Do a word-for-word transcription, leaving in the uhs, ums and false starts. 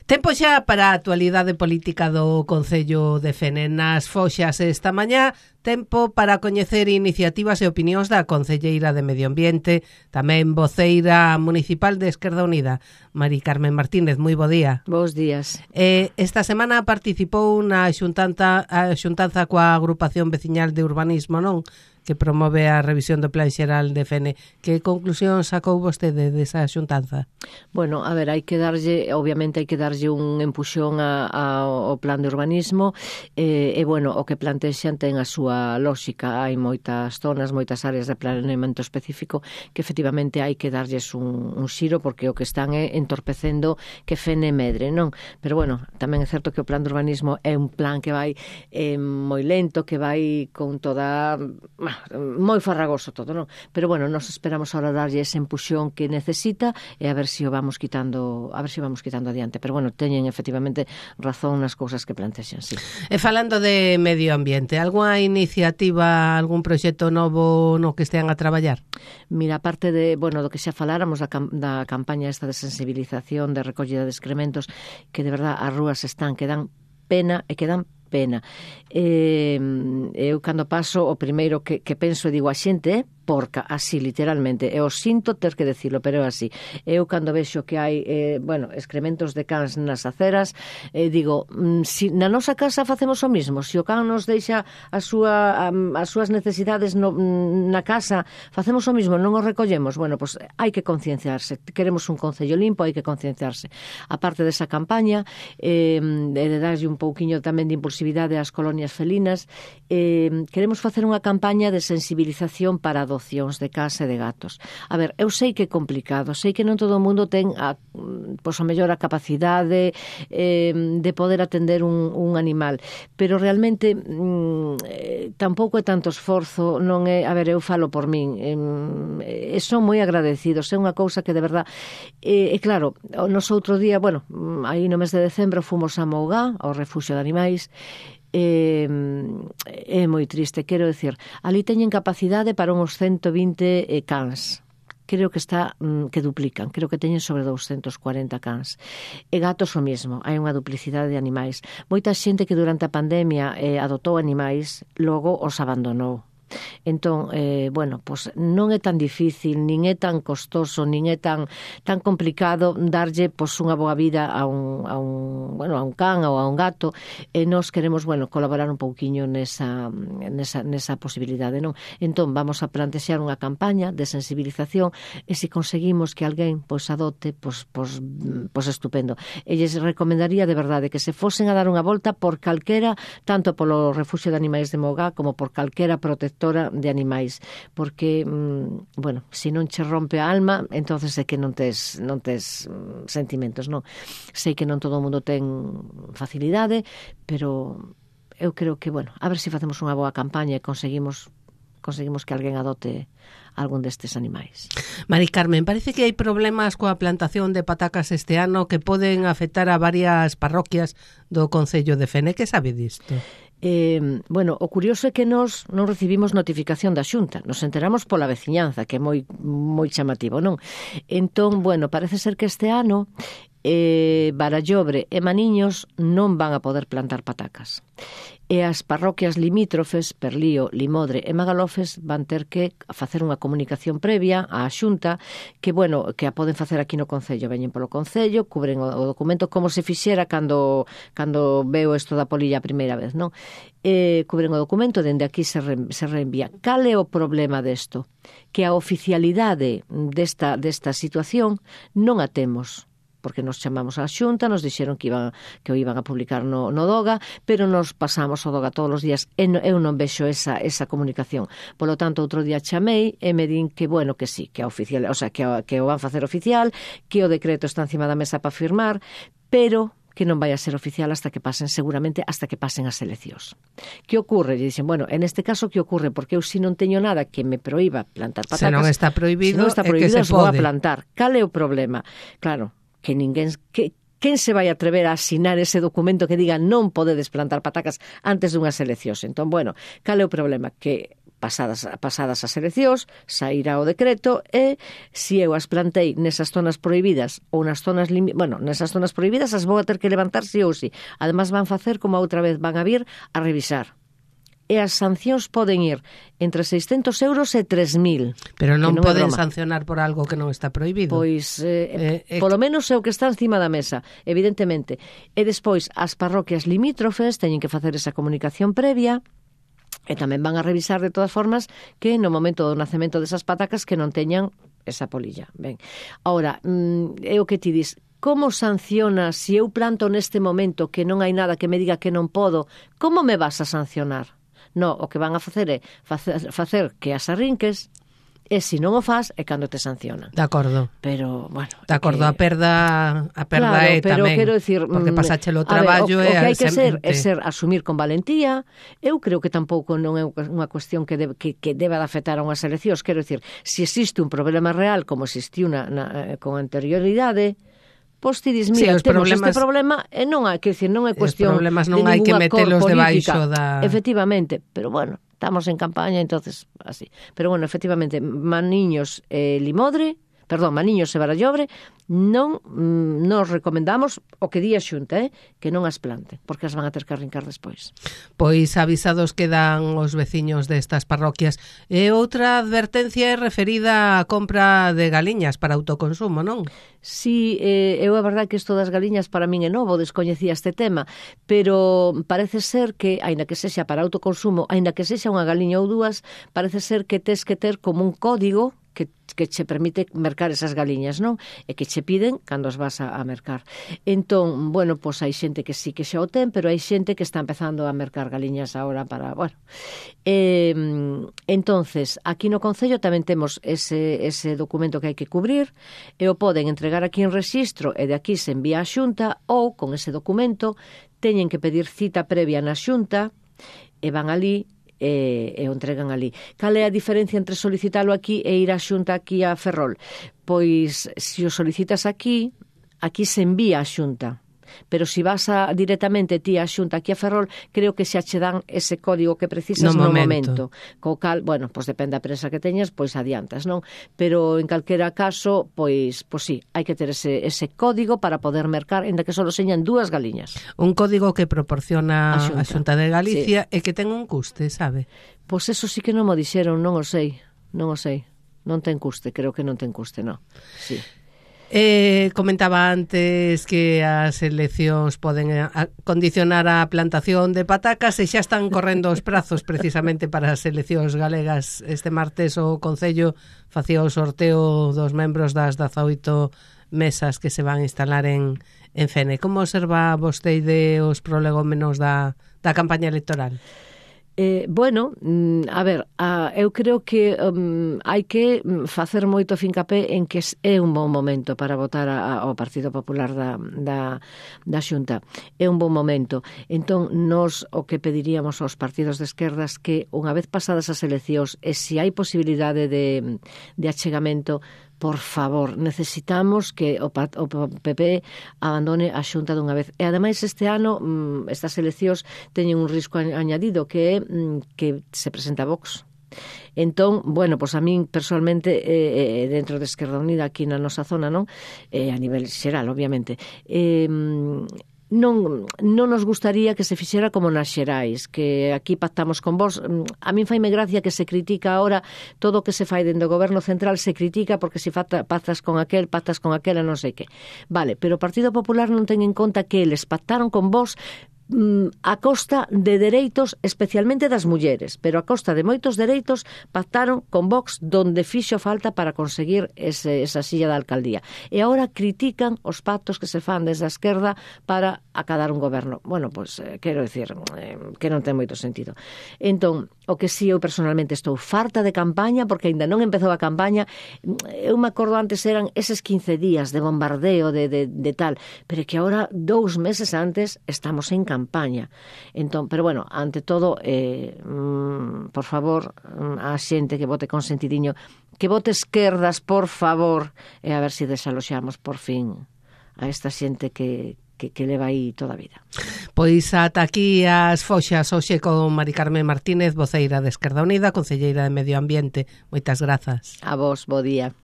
Tempo xa para a actualidade política do Concello de Fene. Nas foxas esta mañá, tempo para coñecer iniciativas e opinións da Concelleira de Medio Ambiente, tamén voceira municipal de Esquerda Unida, Mari Carmen Martínez. Moi bo día. Bos días. Eh, esta semana participou na xuntanza, a xuntanza coa agrupación veciñal de urbanismo, non? Que promove a revisión do Plan Xeral de Fene. Que conclusión sacou vostede desa xuntanza? Bueno, a ver, hai que darlle, obviamente hai que darlle un empuxón a, a, ao plan de urbanismo e, e bueno, o que plantexan ten a súa lógica. Hai moitas zonas, moitas áreas de planeamento específico que efectivamente hai que darlles un, un xiro porque o que están é entorpecendo que Fene medre, non? Pero bueno, tamén é certo que o plan de urbanismo é un plan que vai eh, moi lento, que vai con toda... moi farragoso todo, non? Pero bueno, nos esperamos ahora darlle ese empuxón que necesita e a ver se o vamos quitando, a ver se vamos quitando adiante. Pero bueno, teñen efectivamente razón nas cousas que plantexan, sí. E falando de medio ambiente, algunha iniciativa, algún proxecto novo no que estean a traballar? Mira, aparte de, bueno, do que xa faláramos da, cam da campaña esta de sensibilización, de recollida de excrementos, que de verdad as rúas están que dan pena e que dan pena. Eh, eu cando paso o primeiro que, que penso e digo a xente é porca, así literalmente, eu sinto ter que decirlo, pero é así. Eu cando vexo que hai eh, bueno, excrementos de cans nas aceras, eh, digo, mm, si na nosa casa facemos o mismo, se o can nos deixa a súa, a, as súas necesidades no, na casa, facemos o mismo, non os recollemos. Bueno, pues hai que concienciarse, queremos un concello limpo, hai que concienciarse. Aparte desa campaña, eh, de darlle un pouquiño tamén de impulsividade ás colonias felinas, eh, queremos facer unha campaña de sensibilización para adopción de casa e de gatos. A ver, eu sei que é complicado, sei que non todo o mundo ten a, pois, a mellor a capacidade eh, de poder atender un, un animal, pero realmente mm, eh, tampouco é tanto esforzo, non é, a ver, eu falo por min, eh, son moi agradecidos, é unha cousa que de verdad, e eh, claro, nos outro día, bueno, aí no mes de decembro fomos a Mougá, ao Refuxio de Animais. É, é moi triste, quero decir, ali teñen capacidade para uns ciento vinte eh, cans. Creo que está mm, que duplican, creo que teñen sobre doscientos cuarenta cans. E gatos o mesmo, hai unha duplicidade de animais. Moita xente que durante a pandemia eh, adotou animais, logo os abandonou. Entón, eh, bueno, pues non é tan difícil, nin é tan costoso, nin é tan tan complicado darlle pues unha boa vida a un, a un, bueno, a un can ou a un gato, e nós queremos, bueno, colaborar un pouquiño nesa, nesa, nesa posibilidade, non? Entón, vamos a plantexar unha campaña de sensibilización e se conseguimos que alguén pues adote, pues, pues, pues estupendo. E lles recomendaría de verdade que se fosen a dar unha volta por calquera, tanto polo Refuxio de Animais de Mougá como por calquera protectora de animais, porque mm, bueno, se non che rompe a alma, entonces é que non tes, non tes mm, sentimentos, non? Sei que non todo o mundo ten facilidade, pero eu creo que, bueno, a ver se facemos unha boa campaña e conseguimos conseguimos que alguén adote algún destes animais. Mari Carmen, parece que hai problemas coa plantación de patacas este ano que poden afectar a varias parroquias do Concello de Fene. Que sabe disto? Eh, bueno, o curioso é que nós non recibimos notificación da Xunta, nos enteramos pola veciñanza, que é moi moi chamativo, non? Entón, bueno, parece ser que este ano eh, Barallobre e Maniños non van a poder plantar patacas. E as parroquias limítrofes, Perlío, Limodre e Magalofes van ter que facer unha comunicación previa á Xunta que, bueno, que a poden facer aquí no Concello. Veñen polo Concello, cubren o, o documento como se fixera cando, cando veo isto da polilla a primeira vez, non? E cubren o documento, dende aquí se, re, se reenvía. Cal é o problema desto? Que a oficialidade desta, desta situación non a temos, porque nos chamamos á Xunta, nos dixeron que iban que o iban a publicar no, no Doga, pero nos pasamos o Doga todos os días e no, eu non vexo esa, esa comunicación. Polo tanto, outro día chamei e me din que, bueno, que sí, que a oficial, o sea, que, a, que o van facer oficial, que o decreto está encima da mesa para firmar, pero que non vai a ser oficial hasta que pasen, seguramente, hasta que pasen as eleccións. Que ocorre? E dicen, bueno, en este caso, que ocorre? Porque eu si non teño nada que me proíba plantar patacas. Se non está prohibido, se non está prohibido, é que se vou a pode plantar. Cal é o problema? Claro, que ninguén... Que, quen se vai atrever a asinar ese documento que diga non podedes plantar patacas antes dunhas eleccións? Entón, bueno, cal é o problema? Que pasadas, pasadas as eleccións, sairá o decreto e se eu as plantei nesas zonas prohibidas ou nas zonas lim... bueno, nesas zonas prohibidas as vou a ter que levantar sí ou sí. Además van facer como a outra vez, van a vir a revisar. E as sancións poden ir entre seiscentos euros e tres mil. Pero non, non poden broma. sancionar por algo que non está prohibido. Pois, eh, eh, eh, polo menos é o que está encima da mesa, evidentemente. E despois, as parroquias limítrofes teñen que facer esa comunicación previa. E tamén van a revisar de todas formas que no momento do nacemento desas patacas que non teñan esa polilla. Ben, ahora, é o que ti dis, como sanciona se eu planto neste momento que non hai nada que me diga que non podo, como me vas a sancionar? No, o que van a facer é facer, facer que as arrinques e se non o faz é cando te sancionan. De acordo. Pero, bueno... De acordo, que... a perda, a perda claro, é pero tamén, quero decir, porque pasáchelo o traballo ver, o, e... o que hai que ser semente... é ser asumir con valentía. Eu creo que tampouco non é unha cuestión que, debe, que, que deba de afectar a unhas eleccións. Quero decir, se existe un problema real como existiu na, na, con anterioridade, pois ti dis, mira, sí, temos problemas... este problema e non hai que decir, non é cuestión os problemas non de hai que ninguna metelos cor política. Debaixo da... Efectivamente, pero bueno, estamos en campaña, entonces así. Pero bueno, efectivamente, Maniños e Limodre, perdón, Maniños e Barallobre, non mm, nos recomendamos o que di a Xunta, eh, que non as plante, porque as van a ter que arrincar despois. Pois avisados quedan os veciños destas parroquias. E outra advertencia é referida á compra de galiñas para autoconsumo, non? Sí, eh, eu a verdade que isto das galiñas para min é novo, descoñecía este tema, pero parece ser que, aínda que sexa para autoconsumo, aínda que sexa unha galiña ou dúas, parece ser que tes que ter como un código que, que che permite mercar esas galiñas, non? E que che piden cando as vas a, a mercar. Entón, bueno, pois hai xente que sí que xa o ten, pero hai xente que está empezando a mercar galiñas agora para, bueno. Eh, entonces, aquí no Concello tamén temos ese, ese documento que hai que cubrir e o poden entregar aquí en rexistro e de aquí se envía á Xunta ou, con ese documento, teñen que pedir cita previa na Xunta e van ali e, e o entregan ali. Cal é a diferencia entre solicitalo aquí e ir á Xunta aquí a Ferrol? Pois, se o solicitas aquí, aquí se envía á Xunta. Pero se vas a, directamente ti á Xunta aquí a Ferrol, creo que xa che dan ese código que precisas no, no momento. momento. Co cal, bueno, pois depende da prensa que teñas, pois adiantas, non? Pero en calquera caso, pois, pois sí, hai que ter ese, ese código para poder mercar, ainda que só señan dúas galiñas. Un código que proporciona a Xunta, a Xunta de Galicia sí. E que ten un custe, sabe? Pois eso sí que non mo dixeron, non o sei, non o sei. Non ten custe, creo que non ten custe, non. Sí. Eh, comentaba antes que as eleccións poden a, condicionar a plantación de patacas e xa están correndo os prazos precisamente para as eleccións galegas. Este martes o Concello facía o sorteo dos membros das dezaoito mesas que se van a instalar en, en Fene. Como observa vostede os prolegómenos da, da campaña electoral? Eh, bueno, a ver, a, eu creo que um, hai que facer moito fincapé en que é un bon momento para votar a, a, ao Partido Popular da, da, da Xunta. É un bon momento. Entón, nos o que pediríamos aos partidos de esquerdas que unha vez pasadas as eleccións e se hai posibilidade de, de achegamento, por favor, necesitamos que o P P abandone a Xunta dunha vez. E ademais este ano estas eleccións teñen un risco añadido que é que se presenta Vox. Entón, bueno, pois a min personalmente eh, dentro de Esquerda Unida aquí na nosa zona, non? Eh, a nivel xeral, obviamente. Eh, non, non nos gustaría que se fixera como nas xerais, que aquí pactamos con vos. A min faime gracia que se critica ahora todo o que se fai dentro do goberno central, se critica porque se pactas con aquel, pactas con aquela, non sei que. Vale, pero o Partido Popular non ten en conta que eles pactaron con vos a costa de dereitos, especialmente das mulleres, pero a costa de moitos dereitos pactaron con Vox donde fixo falta para conseguir ese, esa silla da alcaldía. E agora critican os pactos que se fan desde a esquerda para acadar un goberno. Bueno, pois, pues, eh, quero dicir eh, que non ten moito sentido. Entón, o que si eu personalmente estou farta de campaña, porque aínda non empezou a campaña, eu me acordo antes eran eses quince días de bombardeo, de, de, de tal, pero que agora, dous meses antes, estamos en campaña. campaña. Entón, pero bueno, ante todo, eh, mm, por favor, a xente que vote con sentidiño, que vote esquerdas, por favor, e a ver se desaloxamos por fin a esta xente que, que, que leva aí toda a vida. Pois ata aquí as foxas hoxe con Mari Carmen Martínez, voceira de Esquerda Unida, concelleira de Medio Ambiente. Moitas grazas. A vos, bo día.